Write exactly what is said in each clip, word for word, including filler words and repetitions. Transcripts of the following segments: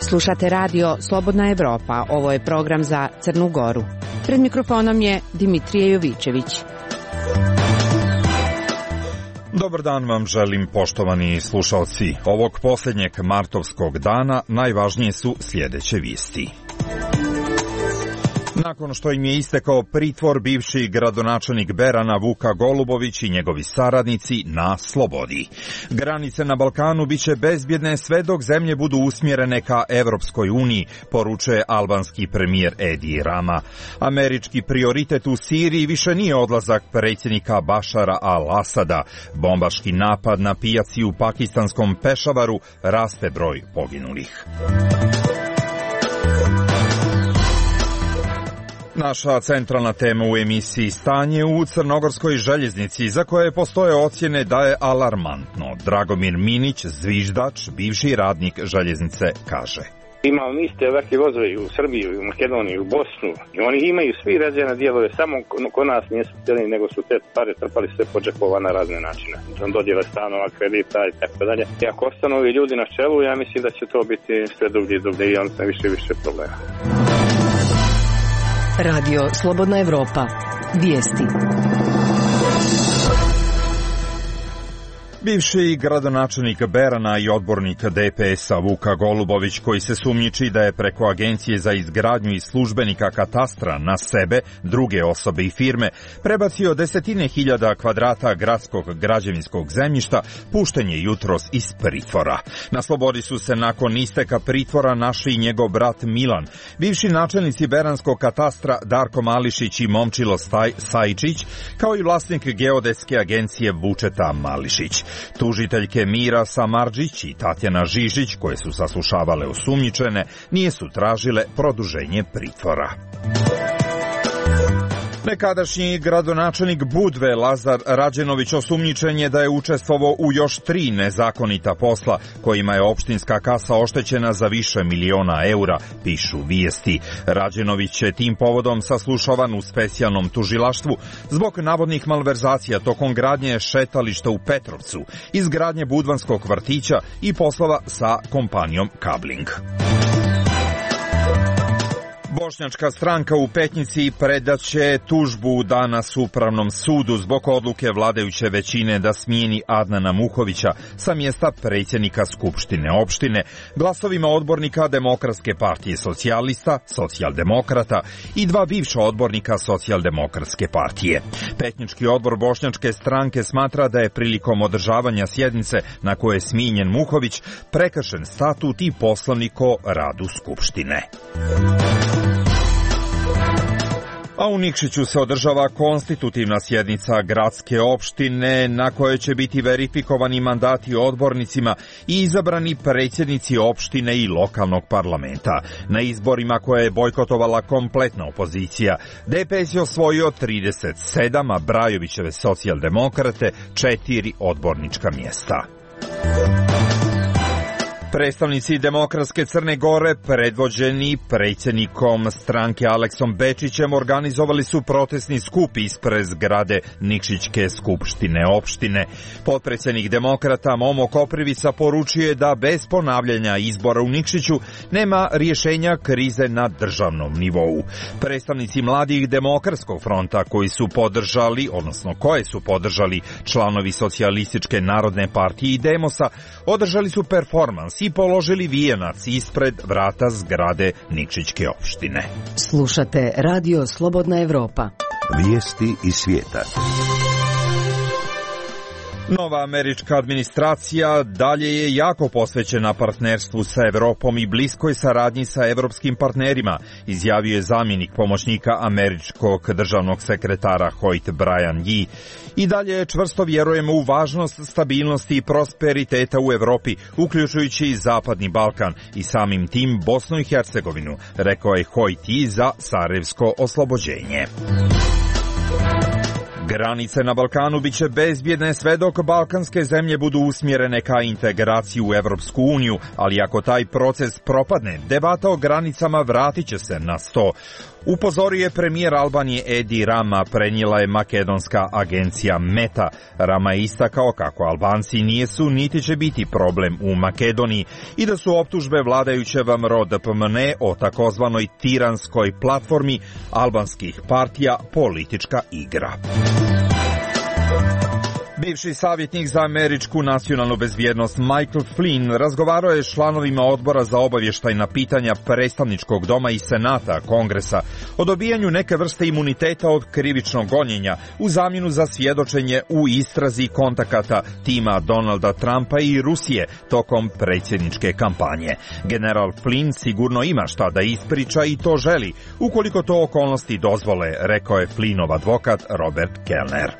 Slušate radio Slobodna Evropa. Ovo je program za Crnu Goru. Pred mikrofonom je Dimitrije Jovićević. Dobar dan vam želim, poštovani slušalci. Ovog posljednjeg martovskog dana najvažnije su sljedeće vijesti. Nakon što im je istekao pritvor, bivši gradonačelnik Berana Vuka Golubović i njegovi saradnici na slobodi. Granice na Balkanu biće bezbjedne sve dok zemlje budu usmjerene ka Evropskoj uniji, poručuje albanski premijer Edi Rama. Američki prioritet u Siriji više nije odlazak predsjednika Bašara al-Asada. Bombaški napad na pijaci u pakistanskom Pešavaru, raste broj poginulih. Naša centralna tema u emisiji Stanje u crnogorskoj željeznici, za koje postoje ocjene da je alarmantno. Dragomir Minić, zviždač, bivši radnik željeznice, kaže: Imamo mi iste ovakve vozove u Srbiju, u Makedoniju, u Bosnu. I oni imaju svi razvijene dijelove, samo kod nas nisu htjeli, nego su te pare trpali sve po džepova na razne načine. Dodjele stanova, kredita i tako dalje. I ako ostanu ovi ljudi na čelu, ja mislim da će to biti sve dublje i dublje i onda više i više problema. Radio Slobodna Evropa. Vijesti. Bivši gradonačelnik Berana i odbornik D P S-a Vuka Golubović, koji se sumnjiči da je preko Agencije za izgradnju i službenika katastra na sebe, druge osobe i firme, prebacio desetine hiljada kvadrata gradskog građevinskog zemljišta, pušten je jutros iz pritvora. Na slobodi su se nakon isteka pritvora našli i njegov brat Milan, bivši načelnici beranskog katastra Darko Mališić i Momčilo Sajčić, kao i vlasnik geodetske agencije Vučeta Mališić. Tužiteljke Mira Samardžić i Tatjana Žižić, koje su saslušavale osumnjičene, nije su tražile produženje pritvora. Nekadašnji gradonačelnik Budve Lazar Rađenović osumnjičen je da je učestvovao u još tri nezakonita posla, kojima je opštinska kasa oštećena za više miliona eura, pišu vijesti. Rađenović je tim povodom saslušavan u specijalnom tužilaštvu zbog navodnih malverzacija tokom gradnje šetališta u Petrovcu, izgradnje budvanskog vrtića i poslova sa kompanijom Kabling. Bošnjačka stranka u Petnici predaće tužbu danas Upravnom sudu zbog odluke vladajuće većine da smijeni Adnana Muhovića sa mjesta predsjednika Skupštine opštine glasovima odbornika Demokratske partije socijalista, socijaldemokrata i dva bivša odbornika Socijaldemokratske partije. Petnički odbor Bošnjačke stranke smatra da je prilikom održavanja sjednice na kojoj je smijenjen Muhović prekršen statut i poslovnik o radu Skupštine. A u Nikšiću se održava konstitutivna sjednica gradske opštine na kojoj će biti verifikovani mandati odbornicima i izabrani predsjednici opštine i lokalnog parlamenta. Na izborima koje je bojkotovala kompletna opozicija, D P S je osvojio trideset sedam, a Brajovićeve socijaldemokrate četiri odbornička mjesta. Predstavnici Demokratske Crne Gore, predvođeni predsjednikom stranke Aleksom Bečićem, organizovali su protestni skup ispred zgrade Nikšićke skupštine opštine. Potpredsjednik Demokrata Momo Koprivica poručuje da bez ponavljanja izbora u Nikšiću nema rješenja krize na državnom nivou. Predstavnici Mladih Demokratskog fronta koji su podržali, odnosno koje su podržali članovi Socijalističke narodne partije i Demosa, održali su performans i položili vijenac ispred vrata zgrade Nikšićke opštine. Slušate Radio Slobodna Evropa. Vijesti iz svijeta. Nova američka administracija dalje je jako posvećena partnerstvu sa Evropom i bliskoj saradnji sa evropskim partnerima, izjavio je zamjenik pomoćnika američkog državnog sekretara Hoyt Brian Yee. I dalje čvrsto vjerujemo u važnost stabilnosti i prosperiteta u Evropi, uključujući i Zapadni Balkan i samim tim Bosnu i Hercegovinu, rekao je Hoyt Yee za Sarajevsko oslobođenje. Granice na Balkanu biće bezbjedne sve dok balkanske zemlje budu usmjerene ka integraciji u Evropsku uniju, ali ako taj proces propadne, debata o granicama vratit će se na sto. Upozorio je premijer Albanije Edi Rama, prenijela je makedonska agencija Meta. Rama je istakao kako Albanci nijesu niti će biti problem u Makedoniji i da su optužbe vladajućeg M R O D P M N E o takozvanoj tiranskoj platformi albanskih partija politička igra. Bivši savjetnik za američku nacionalnu bezbjednost Michael Flynn razgovarao je s članovima odbora za obavještajna pitanja predstavničkog doma i senata Kongresa o dobijanju neke vrste imuniteta od krivičnog gonjenja u zamjenu za svjedočenje u istrazi kontakata tima Donalda Trumpa i Rusije tokom predsjedničke kampanje. General Flynn sigurno ima šta da ispriča i to želi, ukoliko to okolnosti dozvole, rekao je Flynnov advokat Robert Kellner.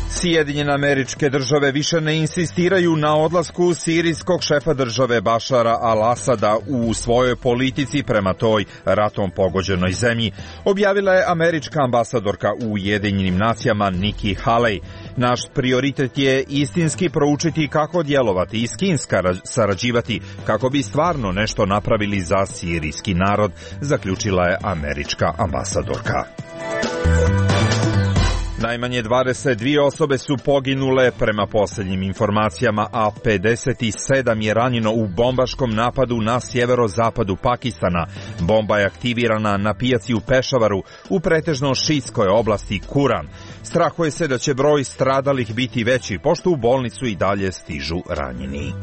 Sjedinjene Američke Države više ne insistiraju na odlasku sirijskog šefa države Bašara al-Asada u svojoj politici prema toj ratom pogođenoj zemlji, objavila je američka ambasadorka u Ujedinjenim nacijama Nikki Haley. Naš prioritet je istinski proučiti kako djelovati i s kim sarađivati kako bi stvarno nešto napravili za sirijski narod, zaključila je američka ambasadorka. Najmanje dvadeset dvije osobe su poginule prema posljednjim informacijama, a pedeset sedam je ranjeno u bombaškom napadu na sjeverozapadu Pakistana. Bomba je aktivirana na pijaci u Pešavaru u pretežno šiitskoj oblasti Kuran. Strahuje se da će broj stradalih biti veći, pošto u bolnicu i dalje stižu ranjeni.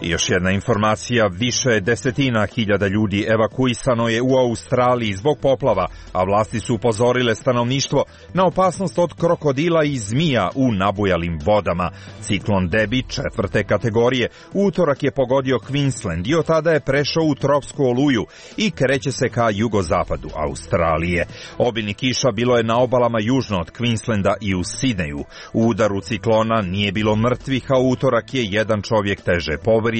I još jedna informacija, više desetina hiljada ljudi evakuisano je u Australiji zbog poplava, a vlasti su upozorile stanovništvo na opasnost od krokodila i zmija u nabujalim vodama. Ciklon Debbie četvrte kategorije u utorak je pogodio Queensland i od tada je prešao u tropsku oluju i kreće se ka jugozapadu Australije. Obilnih kiša bilo je na obalama južno od Queenslanda i u Sidneju. U udaru ciklona nije bilo mrtvih, a u utorak je jedan čovjek teže povrijeđen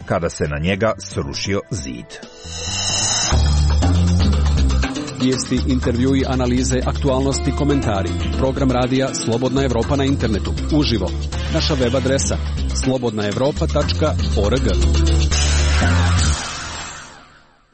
kada se na njega srušio zid. Vijesti, intervjui, analize, aktualnosti, komentari. Program radija Slobodna Evropa na internetu. Uživo. Naša web adresa slobodna evropa tačka org.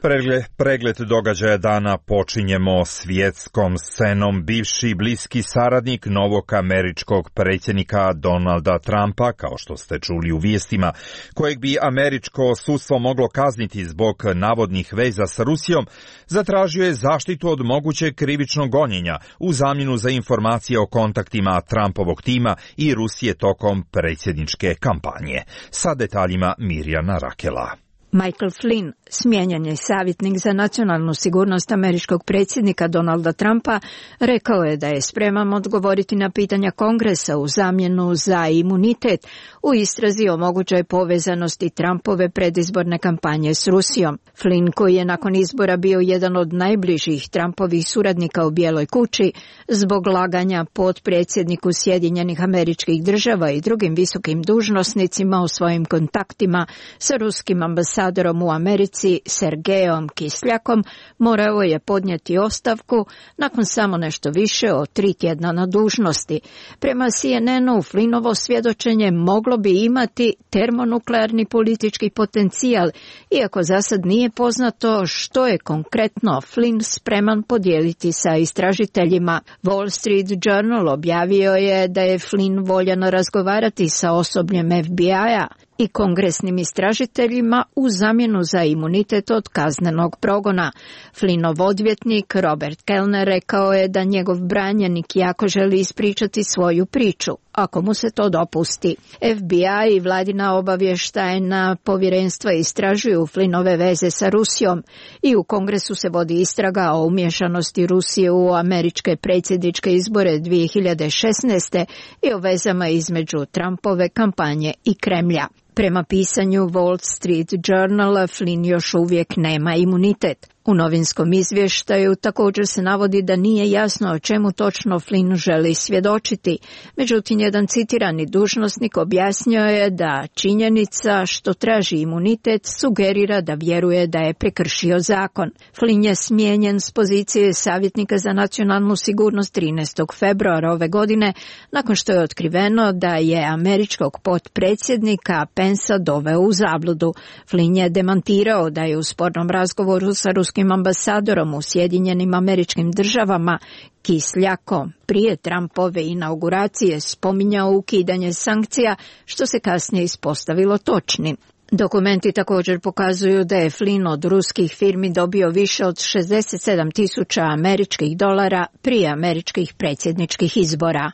Pregled, pregled događaja dana počinjemo svjetskom scenom. Bivši bliski saradnik novog američkog predsjednika Donalda Trumpa, kao što ste čuli u vijestima, kojeg bi američko sudstvo moglo kazniti zbog navodnih veza s Rusijom, zatražio je zaštitu od mogućeg krivičnog gonjenja u zamjenu za informacije o kontaktima Trumpovog tima i Rusije tokom predsjedničke kampanje. Sa detaljima Mirjana Rakela. Michael Flynn, smijenjen je savjetnik za nacionalnu sigurnost američkog predsjednika Donalda Trumpa, rekao je da je spreman odgovoriti na pitanja Kongresa u zamjenu za imunitet u istrazi o mogućoj povezanosti Trumpove predizborne kampanje s Rusijom. Flynn, koji je nakon izbora bio jedan od najbližih Trumpovih suradnika u Bijeloj kući, zbog laganja potpredsjedniku Sjedinjenih Američkih Država i drugim visokim dužnosnicima o svojim kontaktima sa ruskim ambasadorom u Americi Sergejom Kisljakom, morao je podnijeti ostavku nakon samo nešto više od tri tjedna na dužnosti. Prema C N N-u, Flynnovo svjedočenje moglo bi imati termonuklearni politički potencijal, iako za sad nije poznato što je konkretno Flynn spreman podijeliti sa istražiteljima. Wall Street Journal objavio je da je Flynn voljan razgovarati sa osobljem F B I-a i kongresnim istražiteljima u zamjenu za imunitet od kaznenog progona. Flynnov odvjetnik Robert Kellner rekao je da njegov branjenik jako želi ispričati svoju priču, ako mu se to dopusti. F B I i vladina obavještajna povjerenstva istražuju Flynnove veze sa Rusijom i u Kongresu se vodi istraga o umješanosti Rusije u američke predsjedničke izbore dvije hiljade šesnaeste i o vezama između Trumpove kampanje i Kremlja. Prema pisanju Wall Street Journal, Flynn još uvijek nema imunitet. U novinskom izvještaju također se navodi da nije jasno o čemu točno Flynn želi svjedočiti. Međutim, jedan citirani dužnosnik objasnio je da činjenica što traži imunitet sugerira da vjeruje da je prekršio zakon. Flynn je smijenjen s pozicije savjetnika za nacionalnu sigurnost trinaestog februara ove godine, nakon što je otkriveno da je američkog potpredsjednika Pensa doveo u zabludu. Flynn je demantirao da je u spornom razgovoru sa ruskim ambasadorom u Sjedinjenim Američkim Državama Kisljako prije Trumpove inauguracije spominjao ukidanje sankcija, što se kasnije ispostavilo točnim. Dokumenti također pokazuju da je Flynn od ruskih firmi dobio više od šezdeset sedam tisuća američkih dolara prije američkih predsjedničkih izbora.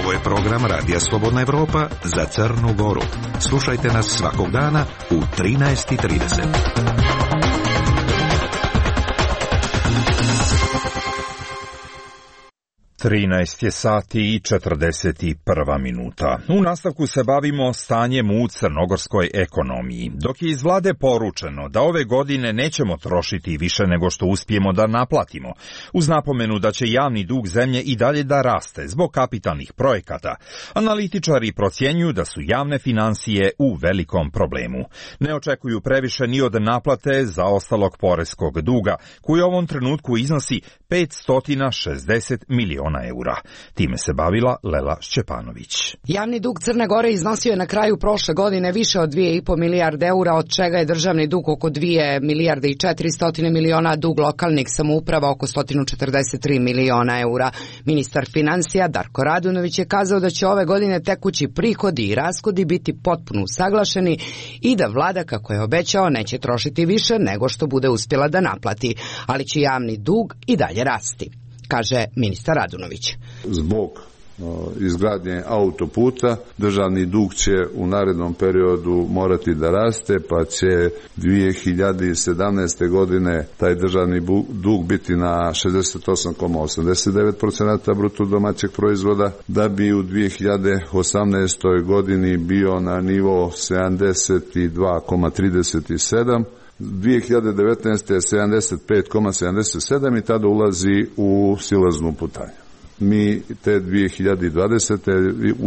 Ovo je program Radija Slobodna Evropa za Crnu Goru. Slušajte nas svakog dana u trinaest i trideset. trinaest je sati i četrdeset prva minuta. U nastavku se bavimo stanjem u crnogorskoj ekonomiji. Dok je iz vlade poručeno da ove godine nećemo trošiti više nego što uspijemo da naplatimo, uz napomenu da će javni dug zemlje i dalje da raste zbog kapitalnih projekata, analitičari procjenjuju da su javne finansije u velikom problemu. Ne očekuju previše ni od naplate zaostalog poreskog duga, koji u ovom trenutku iznosi petsto šezdeset miliona eura. Time se bavila Lela Šćepanović. Javni dug Crne Gore iznosio je na kraju prošle godine više od dvije i po milijarde eura, od čega je državni dug oko dvije milijarde i četiristo miliona, dug lokalnih samouprava oko sto četrdeset tri miliona eura. Ministar financija Darko Radunović je kazao da će ove godine tekući prihodi i rashodi biti potpuno usaglašeni i da vlada, kako je obećao, neće trošiti više nego što bude uspjela da naplati, ali će javni dug i dalje rasti, kaže ministar Radunović. Zbog izgradnje autoputa državni dug će u narednom periodu morati da raste, pa će dvije hiljade sedamnaeste. godine taj državni dug biti na šezdeset osam zarez osamdeset devet posto bruto domaćeg proizvoda, da bi u dvije hiljade osamnaestoj. godini bio na nivo sedamdeset dva zarez trideset sedam, dvije hiljade devetnaeste. je sedamdeset pet zarez sedamdeset sedam i tada ulazi u silaznu putanju. Mi te dvije hiljade dvadesete.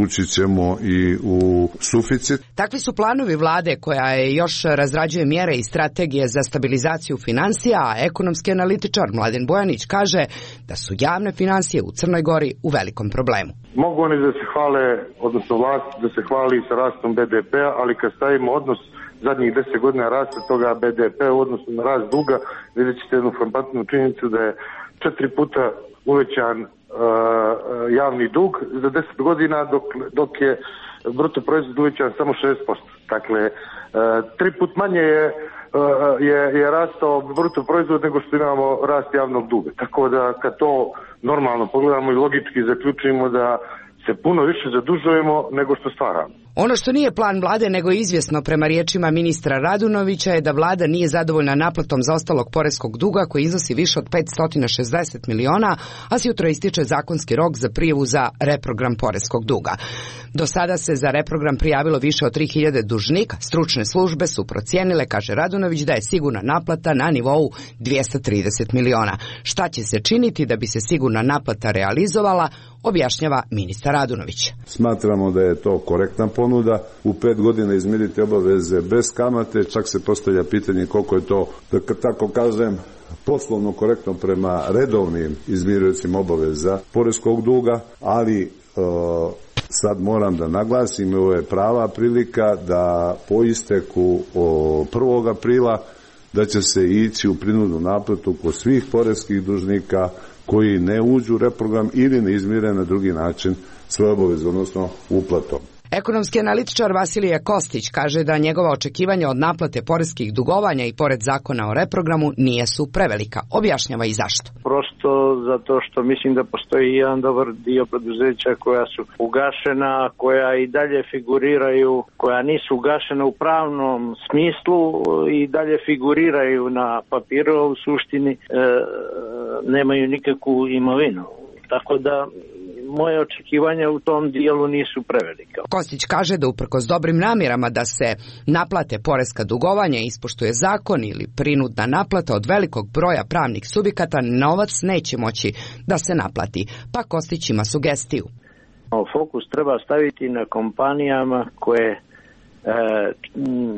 ući ćemo i u suficit. Takvi su planovi vlade, koja je još razrađuje mjere i strategije za stabilizaciju financija, a ekonomski analitičar Mladen Bojanić kaže da su javne financije u Crnoj Gori u velikom problemu. Mogu oni da se hvale, odnosno vlast da se hvali sa rastom be de pea, ali kad stavimo odnos zadnjih deset godina rasta toga be de pe u odnosu na rast duga, vidjet ćete jednu frapantnu činjenicu da je četiri puta uvećan Uh, javni dug za deset godina, dok, dok je bruto proizvod uvećan samo šest posto. Dakle, uh, tri put manje je, uh, je, je rastao bruto proizvod nego što imamo rast javnog duga. Tako da kad to normalno pogledamo i logički zaključujemo da se puno više zadužujemo nego što stvaramo. Ono što nije plan vlade, nego je izvjesno prema riječima ministra Radunovića, je da vlada nije zadovoljna naplatom zaostalog poreskog duga koji iznosi više od petsto šezdeset miliona, a sjutro ističe zakonski rok za prijavu za reprogram poreskog duga. Do sada se za reprogram prijavilo više od tri hiljade dužnika. Stručne službe su procijenile, kaže Radunović, da je sigurna naplata na nivou dvjesto trideset miliona. Šta će se činiti da bi se sigurna naplata realizovala, objašnjava ministar Radunović. Smatramo da je to korektna ponuda. U pet godina izmiriti obaveze bez kamate, čak se postavlja pitanje koliko je to, da tako kažem, poslovno korektno prema redovnim izmirujućim obaveza poreskog duga, ali e, sad moram da naglasim, ovo je prava prilika da po isteku prvog aprila da će se ići u prinudnu naplatu kod svih poreskih dužnika koji ne uđu u reprogram ili ne izmire na drugi način svoje obaveze, odnosno uplatom. Ekonomski analitičar Vasilije Kostić kaže da njegova očekivanja od naplate poreskih dugovanja i pored zakona o reprogramu nije su prevelika. Objašnjava i zašto. Prosto zato što mislim da postoji jedan dobar dio preduzeća koja su ugašena, koja i dalje figuriraju, koja nisu ugašena u pravnom smislu i dalje figuriraju na papiru, u suštini e, nemaju nikakvu imovinu. Tako da moje očekivanja u tom dijelu nisu prevelika. Kostić kaže da uprkos dobrim namjerama da se naplate poreska dugovanja, ispoštuje zakon ili prinudna naplata od velikog broja pravnih subjekata, novac neće moći da se naplati. Pa Kostić ima sugestiju. Fokus treba staviti na kompanijama koje e,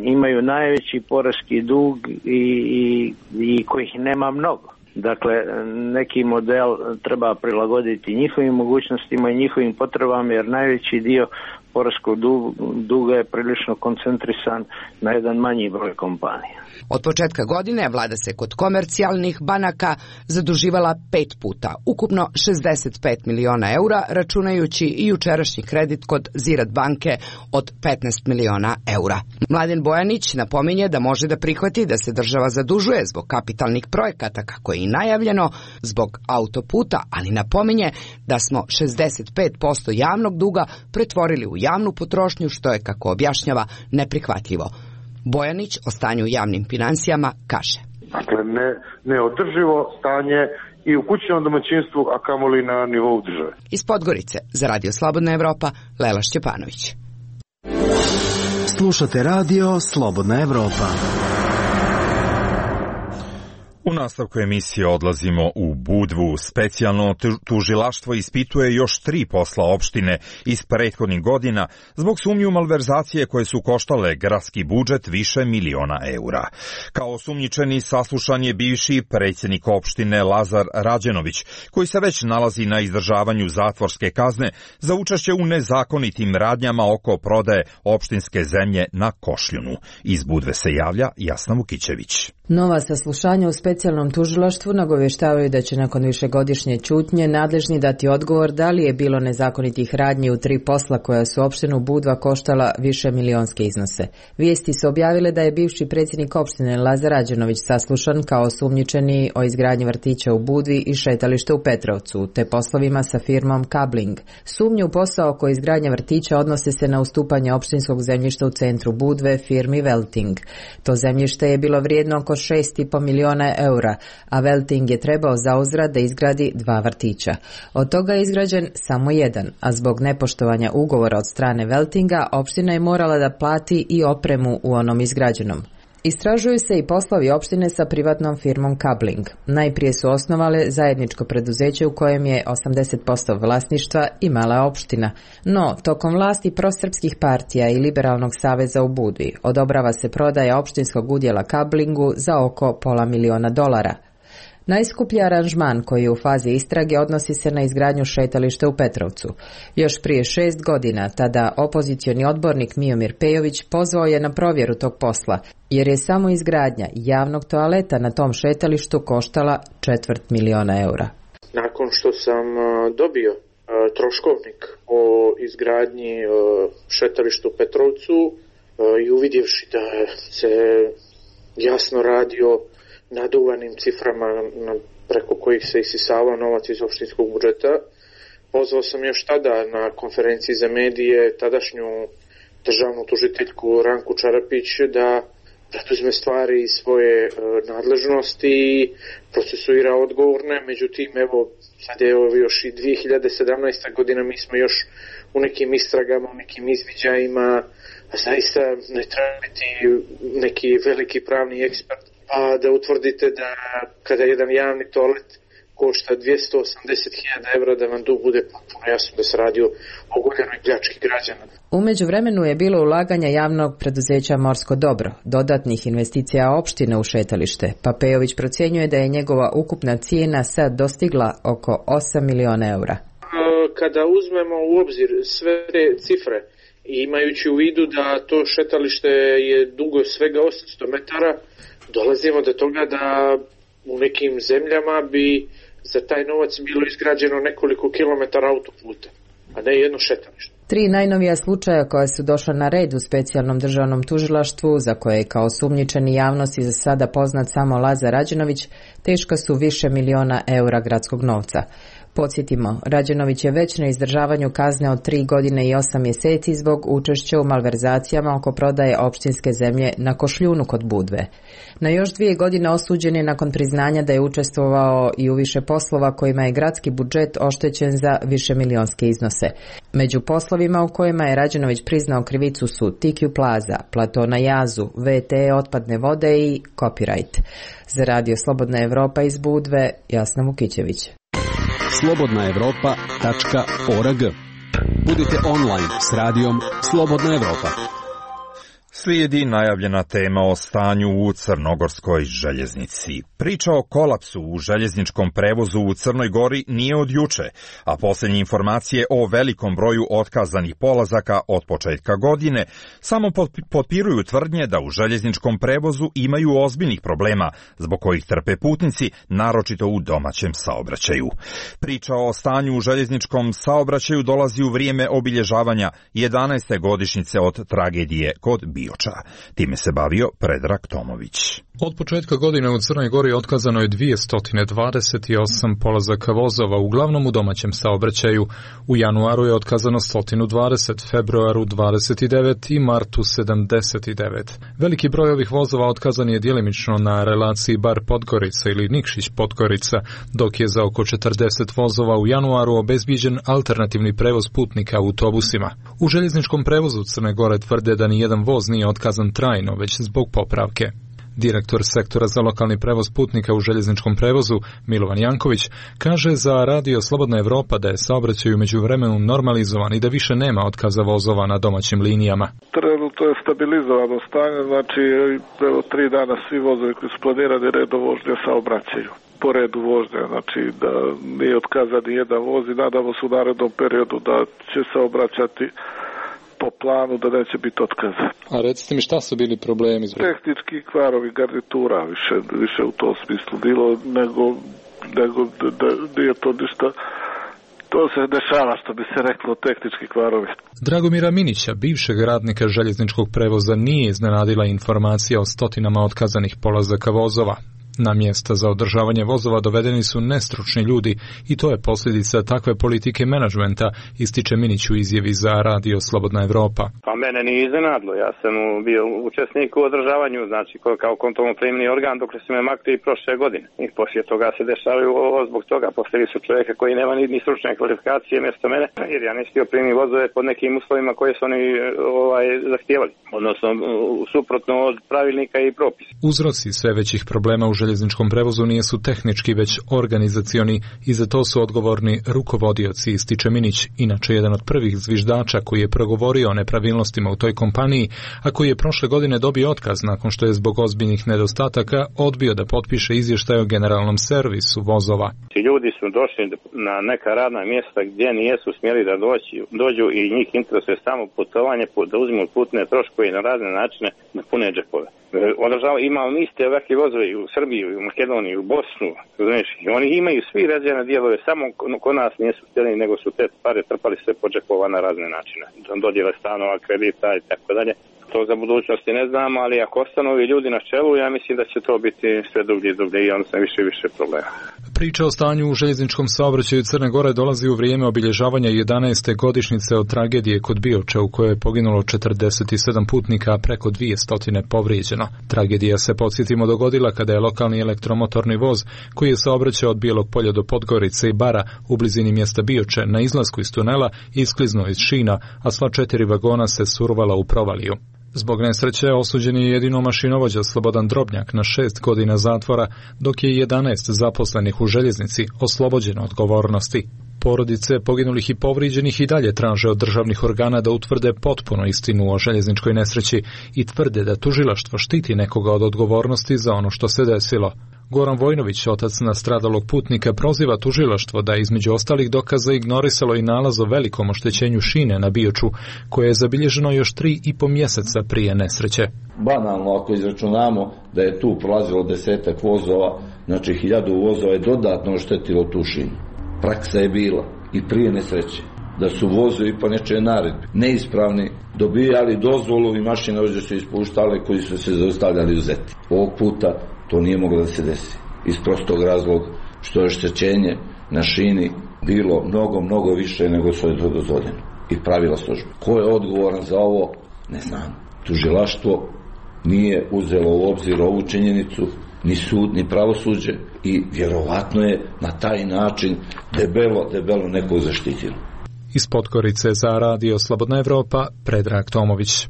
imaju najveći poreski dug i, i, i kojih nema mnogo. Dakle, neki model treba prilagoditi njihovim mogućnostima i njihovim potrebama, jer najveći dio poreskog duga je prilično koncentrisan na jedan manji broj kompanija. Od početka godine vlada se kod komercijalnih banaka zaduživala pet puta, ukupno šezdeset pet miliona eura, računajući i jučerašnji kredit kod Ziraat banke od petnaest miliona eura. Mladen Bojanić napominje da može da prihvati da se država zadužuje zbog kapitalnih projekata, kako je i najavljeno, zbog autoputa, ali napominje da smo šezdeset pet posto javnog duga pretvorili u javnu potrošnju, što je, kako objašnjava, neprihvatljivo. Bojanić o stanju u javnim financijama kaže. Dakle, ne, neodrživo stanje i u kućnom domaćinstvu, a kamoli na nivou države. Iz Podgorice, za Radio Slobodna Evropa, Lela Šćepanović. Slušate Radio Slobodna Evropa. U nastavku emisije odlazimo u Budvu. Specijalno tužilaštvo ispituje još tri posla opštine iz prethodnih godina zbog sumnji u malverzacije koje su koštale gradski budžet više miliona eura. Kao osumnjičeni saslušan je bivši predsjednik opštine Lazar Rađenović, koji se već nalazi na izdržavanju zatvorske kazne za učešće u nezakonitim radnjama oko prodaje opštinske zemlje na Košljunu. Iz Budve se javlja Jasna Vukićević. Nova saslušanja u specijalnom tužilaštvu nagovještavaju da će nakon višegodišnje ćutnje nadležni dati odgovor da li je bilo nezakonitih radnji u tri posla koja su opštinu Budva koštala više milionske iznose. Vijesti su objavile da je bivši predsjednik opštine Lazar Rađenović saslušan kao osumnjičeni o izgradnji vrtića u Budvi i šetališta u Petrovcu, te poslovima sa firmom Kabling. Sumnje u posao oko izgradnje vrtića odnose se na ustupanje opštinskog zemljišta u centru Budve firmi Velting. To zemljište je bilo vrijedno oko šest i po miliona eura, a Velting je trebao zauzvrat da izgradi dva vrtića. Od toga je izgrađen samo jedan, a zbog nepoštovanja ugovora od strane Veltinga, opština je morala da plati i opremu u onom izgrađenom. Istražuju se i poslovi opštine sa privatnom firmom Kabling. Najprije su osnovale zajedničko preduzeće u kojem je osamdeset posto vlasništva imala opština. No, tokom vlasti prosrpskih partija i Liberalnog saveza u Budvi odobrava se prodaja opštinskog udjela Kablingu za oko pola miliona dolara. Najskuplji aranžman koji je u fazi istrage odnosi se na izgradnju šetališta u Petrovcu. Još prije šest godina tada opozicioni odbornik Miomir Pejović pozvao je na provjeru tog posla, jer je samo izgradnja javnog toaleta na tom šetalištu koštala četvrt miliona eura. Nakon što sam dobio troškovnik o izgradnji šetališta u Petrovcu i uvidjevši da se jasno radi o naduvanim ciframa na, preko kojih se isisava novac iz opštinskog budžeta, pozvao sam još tada na konferenciji za medije tadašnju državnu tužiteljku Ranku Čarapić da preduzme stvari iz svoje e, nadležnosti i procesuira odgovorne. Međutim, evo, sad je evo, još i dvije hiljade sedamnaesta godina, mi smo još u nekim istragama, u nekim izviđajima, a zaista ne treba biti neki veliki pravni ekspert pa da utvrdite da kada jedan javni toalet košta dvjesto osamdeset hiljada evra, da vam tu bude potpuno jasno da se radi o ogoljenoj pljački građana. U međuvremenu je bilo ulaganja javnog preduzeća Morsko dobro, dodatnih investicija opštine u šetalište, pa Pejović procjenjuje da je njegova ukupna cijena sad dostigla oko osam miliona eura. Kada uzmemo u obzir sve te cifre i imajući u vidu da to šetalište je dugo svega osamsto metara, dolazimo do toga da u nekim zemljama bi za taj novac bilo izgrađeno nekoliko kilometara autoputa, a ne jedno šetalište. Tri najnovija slučaja koja su došla na red u specijalnom državnom tužilaštvu, za koje je kao osumnjičeni javnosti za sada poznat samo Lazar Rađenović, teška su više miliona eura gradskog novca. Podsjetimo, Rađenović je već na izdržavanju kazne od tri godine i osam mjeseci zbog učešća u malverzacijama oko prodaje opštinske zemlje na Košljunu kod Budve. Na još dvije godine osuđen je nakon priznanja da je učestvovao i u više poslova kojima je gradski budžet oštećen za višemilionske iznose. Među poslovima u kojima je Rađenović priznao krivicu su Tikju Plaza, Plato na Jazu, V T otpadne vode i Copyright. Za Radio Slobodna Evropa iz Budve, Jasna Vukićević. slobodna evropa tačka org. Budite online s radijom Slobodna Evropa. Slijedi najavljena tema o stanju u crnogorskoj željeznici. Priča o kolapsu u željezničkom prevozu u Crnoj Gori nije od juče, a posljednje informacije o velikom broju otkazanih polazaka od početka godine samo potpiruju tvrdnje da u željezničkom prevozu imaju ozbiljnih problema, zbog kojih trpe putnici, naročito u domaćem saobraćaju. Priča o stanju u željezničkom saobraćaju dolazi u vrijeme obilježavanja jedanaeste godišnjice od tragedije kod Bioča. Time se bavio Predrag Tomović. Od početka godine u Crnoj Gori otkazano je dvjesto dvadeset osam polazaka vozova, uglavnom u domaćem saobraćaju. U januaru je otkazano sto dvadeset, februaru dvadeset devet i martu sedamdeset devet. Veliki broj ovih vozova otkazan je djelimično na relaciji Bar-Podgorica ili Nikšić-Podgorica, dok je za oko četrdeset vozova u januaru obezbiđen alternativni prevoz putnika autobusima. U željezničkom prevozu Crne Gore tvrde da ni jedan voz nije otkazan trajno, već zbog popravke. Direktor sektora za lokalni prevoz putnika u željezničkom prevozu, Milovan Janković, kaže za Radio Slobodna Evropa da je saobraćaj u međuvremenu normalizovan i da više nema otkaza vozova na domaćim linijama. Trenutno je stabilizovano stanje, znači evo tri dana svi vozovi koji su planirani redom vožnje saobraćaju. Po redu vožnje, znači da nije otkazan ni jedan voz i nadamo se u narednom periodu da će se obraćati po planu da neće biti otkaza. A recite mi šta su bili problemi? Tehnički kvarovi garnitura, više, više u tom smislu bilo, nego, nego da nije to ništa. To se dešava, što bi se reklo, tehnički kvarovi. Dragomira Minića, bivšeg radnika željezničkog prevoza, nije iznenadila informacija o stotinama otkazanih polazaka vozova. Na mjesta za održavanje vozova dovedeni su nestručni ljudi i to je posljedica takve politike menadžmenta, ističe Minić u izjavi za Radio Slobodna Evropa. Pa mene nije iznenadilo, ja sam bio učesnik u održavanju, znači kao kontrolno-primni organ dok su me makli i prošle godine. I poslije toga se dešavaju ovo zbog toga, postavili su čovjeka koji nema ni, ni stručne kvalifikacije mjesto mene, jer ja nisam htio primiti vozove pod nekim uslovima koje su oni ovaj, zahtijevali, odnosno suprotno od pravilnika i propisa. Uzroci sve većih problema u željezničkom prevozu nije su tehnički, već organizacioni i za to su odgovorni rukovodioci, ističe Minić, inače jedan od prvih zviždača koji je progovorio o nepravilnostima u toj kompaniji, a koji je prošle godine dobio otkaz nakon što je zbog ozbiljnih nedostataka odbio da potpiše izvještaj o generalnom servisu vozova. Ljudi su došli na neka radna mjesta gdje nijesu smjeli da doći, dođu i njih interesuje samo putovanje, da uzmu putne troškove i na razne načine da pune džepove. Održava, imali niste ovakvi vozovi u Srbiji, u Makedoniji, u Bosnu, znači, oni imaju svi razvijene dijelove, samo kod nas nisu htjeli, nego su te pare trpali sve po džepova na razne načine. Dodjele stanova, kredita i tako dalje. To za budućnosti ne znam, ali ako ostanu ovi ljudi na čelu, ja mislim da će to biti sve dublje i dublje i onda sam više i više problema. Priča o stanju u željezničkom saobraćaju Crne Gore dolazi u vrijeme obilježavanja jedanaeste godišnjice od tragedije kod Bioča u kojoj je poginulo četrdeset sedam putnika, a preko dvjesto povrijeđeno. Tragedija se, podsjetimo, dogodila kada je lokalni elektromotorni voz koji je saobraćao od Bijelog polja do Podgorice i Bara u blizini mjesta Bioče na izlasku iz tunela iskliznuo iz šina, a sva četiri vagona se survala u provaliju. Zbog nesreće osuđen je jedino mašinovođa Slobodan Drobnjak na šest godina zatvora, dok je jedanaest zaposlenih u željeznici oslobođeno odgovornosti. Porodice poginulih i povrijeđenih i dalje traže od državnih organa da utvrde potpuno istinu o željezničkoj nesreći i tvrde da tužilaštvo štiti nekoga od odgovornosti za ono što se desilo. Goran Vojnović, otac nastradalog putnika, proziva tužilaštvo da je između ostalih dokaza ignorisalo i nalaz o velikom oštećenju šine na Bioču, koje je zabilježeno još tri i po mjeseca prije nesreće. Banalno, ako izračunamo da je tu prolazilo desetak vozova, znači hiljadu vozova je dodatno oštetilo tu šinu. Praksa je bila i prije nesreće da su vozovi po nečoj naredbi neispravni dobijali dozvolu i mašinovođe su ispuštale koji su se zaustavljali u zeti. Ovog puta to nije moglo da se desi iz prostog razloga što je oštećenje na šini bilo mnogo, mnogo više nego što je to dozvoljeno i pravila službe. Ko je odgovoran za ovo? Ne znam. Tužilaštvo nije uzelo u obzir ovu činjenicu, ni sud, ni pravosuđe i vjerovatno je na taj način debelo, debelo neko zaštitilo. Iz Podgorice za radio Slobodna Evropa, Predrag Tomović.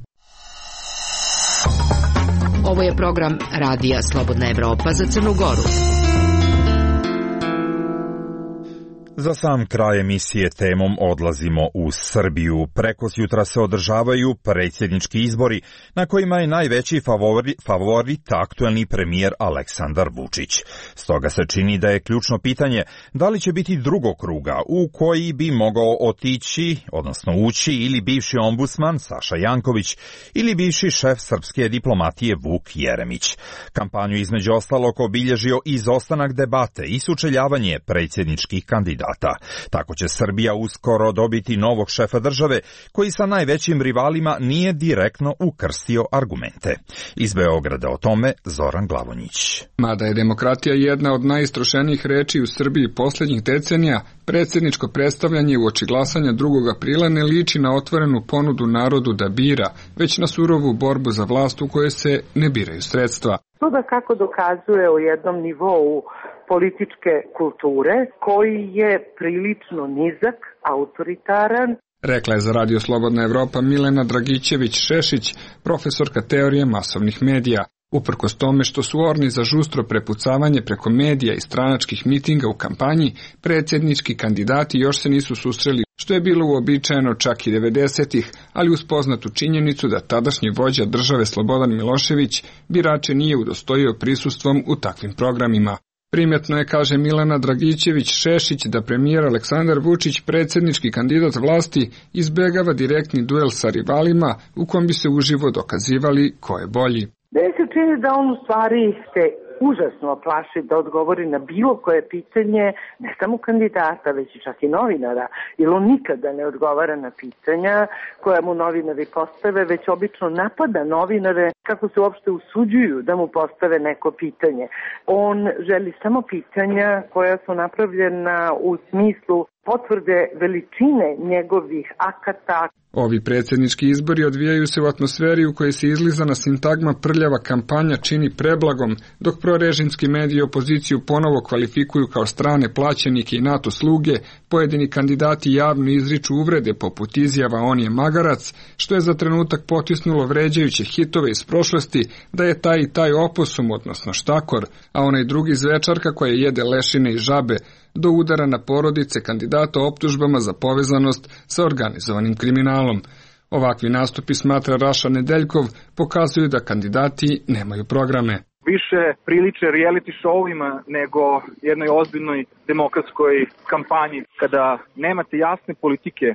Ovo je program Radija Slobodna Evropa za Crnu Goru. Za sam kraj emisije temom odlazimo u Srbiju. Prekosjutra se održavaju predsjednički izbori na kojima je najveći favorit, favorit aktuelni premijer Aleksandar Vučić. Stoga se čini da je ključno pitanje da li će biti drugog kruga u koji bi mogao otići, odnosno ući ili bivši ombudsman Saša Janković ili bivši šef srpske diplomatije Vuk Jeremić. Kampanju između ostalog obilježio izostanak debate i sučeljavanje predsjedničkih kandidata. Tako će Srbija uskoro dobiti novog šefa države koji sa najvećim rivalima nije direktno ukrstio argumente. Iz Beograda o tome Zoran Glavonjić. Mada je demokratija jedna od najistrošenijih reči u Srbiji posljednjih decenija, predsjedničko predstavljanje uoči glasanja drugog aprila ne liči na otvorenu ponudu narodu da bira, već na surovu borbu za vlast u kojoj se ne biraju sredstva. To da kako dokazuje o jednom nivou političke kulture koji je prilično nizak, autoritaran. Rekla je za radio Slobodna Evropa Milena Dragićević-Šešić, profesorka teorije masovnih medija. Uprkos tome što su orni za žustro prepucavanje preko medija i stranačkih mitinga u kampanji, predsjednički kandidati još se nisu susreli, što je bilo uobičajeno čak i devedesetih, ali uz poznatu činjenicu da tadašnji vođa države Slobodan Milošević birače nije udostojio prisustvom u takvim programima. Primjetno je, kaže Milena Dragićević-Šešić, da premijer Aleksandar Vučić, predsjednički kandidat vlasti, izbegava direktni duel sa rivalima u kom bi se uživo dokazivali ko je bolji. Meni se čini da on u stvari se užasno plaši da odgovori na bilo koje pitanje, ne samo kandidata, već i čak i novinara, jer on nikada ne odgovara na pitanja koja mu novinari postave, već obično napada novinare kako se uopšte usuđuju da mu postave neko pitanje. On želi samo pitanja koja su napravljena u smislu potvrde veličine njegovih akata. Ovi predsjednički izbori odvijaju se u atmosferi u kojoj se izlizana sintagma prljava kampanja čini preblagom, dok prorežimski mediji opoziciju ponovo kvalifikuju kao strane plaćenike i NATO sluge, pojedini kandidati javno izriču uvrede poput izjava on je magarac, što je za trenutak potisnulo vređajuće hitove iz prošlosti da je taj i taj oposum, odnosno štakor, a onaj drugi zvečarka koja jede lešine i žabe, do udara na porodice kandidata optužbama za povezanost sa organizovanim kriminalom. Ovakvi nastupi, smatra Raša Nedeljkov, pokazuju da kandidati nemaju programe. Više priliče reality showima nego jednoj ozbiljnoj demokratskoj kampanji. Kada nemate jasne politike,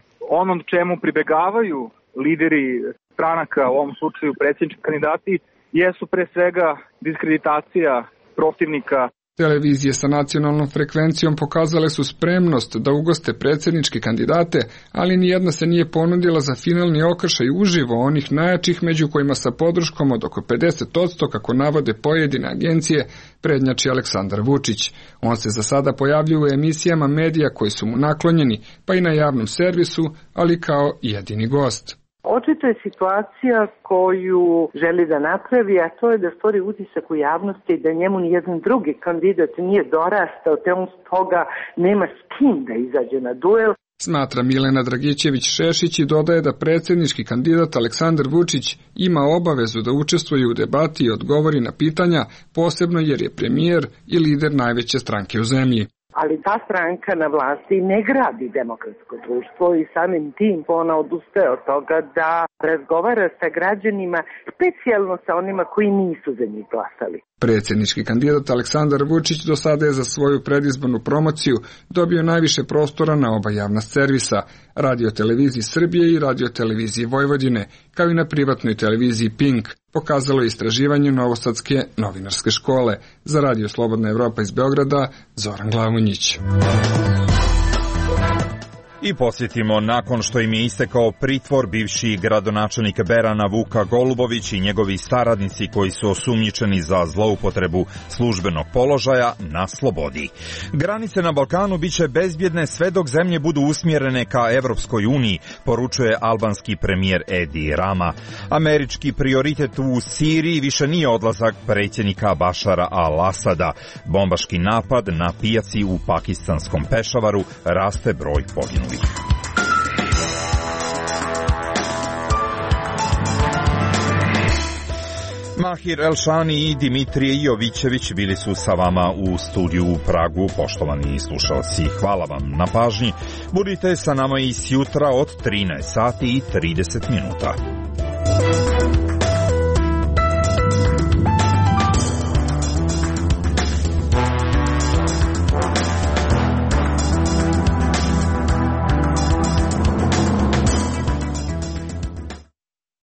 onom čemu pribegavaju lideri stranaka, u ovom slučaju predsjednički kandidati, jesu pre svega diskreditacija protivnika. Televizije sa nacionalnom frekvencijom pokazale su spremnost da ugoste predsjedničke kandidate, ali nijedna se nije ponudila za finalni okršaj uživo onih najjačih, među kojima sa podrškom od oko pedeset posto, kako navode pojedine agencije, prednjači Aleksandar Vučić. On se za sada pojavljuje u emisijama medija koji su mu naklonjeni, pa i na javnom servisu, ali kao jedini gost. Očito je situacija koju želi da napravi, a to je da stvori utisak u javnosti da njemu nijedan drugi kandidat nije dorastao, te on stoga nema s kim da izađe na duel. Smatra Milena Dragićević-Šešić i dodaje da predsjednički kandidat Aleksandar Vučić ima obavezu da učestvuje u debati i odgovori na pitanja, posebno jer je premijer i lider najveće stranke u zemlji. Ali ta stranka na vlasti ne gradi demokratsko društvo i samim tim ona odustaje od toga da razgovara sa građanima, specijalno sa onima koji nisu za njih glasali. Predsjednički kandidat Aleksandar Vučić do sada je za svoju predizbornu promociju dobio najviše prostora na oba javna servisa, Radio-televiziji Srbije i Radio-televiziji Vojvodine, kao i na privatnoj televiziji Pink, pokazalo je istraživanje Novosadske novinarske škole. Za Radio Slobodna Evropa iz Beograda, Zoran Glavonjić. I posjetimo, nakon što im je istekao pritvor, bivši gradonačelnik Berana Vuka Golubović i njegovi saradnici koji su osumnjičeni za zloupotrebu službenog položaja na slobodi. Granice na Balkanu biće bezbjedne sve dok zemlje budu usmjerene ka Evropskoj uniji, poručuje albanski premijer Edi Rama. Američki prioritet u Siriji više nije odlazak predsjednika Bašara al-Asada. Bombaški napad na pijaci u pakistanskom Pešavaru, raste broj poginulih. Mahir Elšani i Dimitrije Jovićević bili su sa vama u studiju u Pragu. Poštovani slušalci, hvala vam na pažnji. Budite sa nama i sjutra od trinaest sati i trideset minuta.